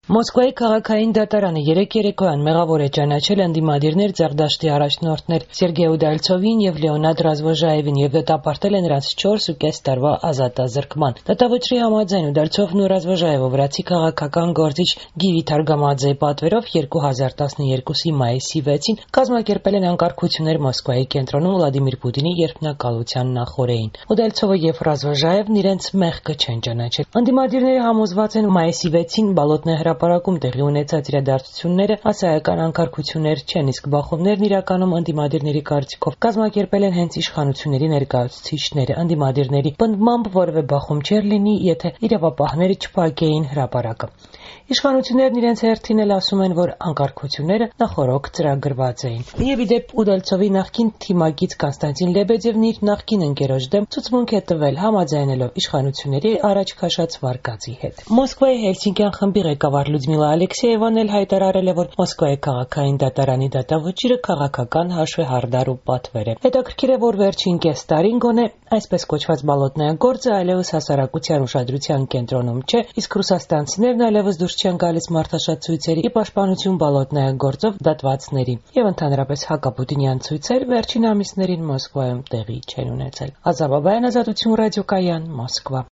Մոսկվայի քաղաքային դատարանը երեկ երեկոյան մեղավոր է ճանաչել ընդդիմադիրներ Ձեռդաշտի առաջնորդներ Սերգեյ Ուդալցովին եւ Լեոնիդ Ռազվոժաևին եւ դատապարտել է նրանց 4.5 տարվա ազատազրկման։ Դատավճռի համաձայն Ուդալցովն ու Ռազվոժաևը վրացի քաղաքական գործիչ Գիվի Թարգամաձեի պատվերով 2012-ի մայիսի 6-ին կազմակերպել են անկարգություններ Մոսկվայի կենտրոնում Վլադիմիր Պուտինի երդմնակալության նախօրեին։ Ուդալցովը եւ Ռազվոժաևն իրենց մեղքը չեն ճանաչել։ Ընդդիմադիրները համոզված են մայիսի 6-ին Բալոտնե հրապարակում տեղի ունեցած իրադարձությունները ասայական անկարգություններ չեն, իսկ բախումներն իրականում ընդդիմադիրների կարծիքով կազմակերպել են հենց իշխանությունների ներկայացուցիչները։ Ընդդիմադիրների պնդմամբ որևէ բախում չէր լինի, եթե իրավապահները չփակեին հրապարակը։ Իշխանություններն իրենց հերթին էլ ասում են, որ անկարգությունները նախօրոք ծրագրված էին։ Եվ ի դեպ Ուդալցովի նախկին թիմակից Կոնստանտին Լեբեդևն իր նախկին ընկերոջ դեմ ցուցմունք է տվել, համաձայնելով իշխանությունների առաջ քաշած վարկածի հետ։ Մոսկվայի Հելսինկյան խմբի ղեկավար Լյուդմիլա Ալեքսեևան էլ հայտարարել է, որ Մոսկվայի քաղաքային դատարանի դատավճիռը քաղաքական հաշվեհարդար ու պատվեր է։ Հետաքրքիր է, որ վերջին կես տարին գոնե այսպես կոչված Բալոտնայա գործը այլևս հասարակության ուշադրության կենտրոնում չէ, իսկ ռուսաստանցիներն այլևս դուրս չեն գալիս մարդաշատ ցույցերի ի պաշտպանություն Բալոտնայա գործով դատվածների, եւ ընդհանրապես հակապուտինյան ցույցեր վերջին ամիսներին Մոսկվայում տեղի չեն ունեցել։ Ազատ Բաբայան, Ազատություն ռադիոկայան, Մոսկվա։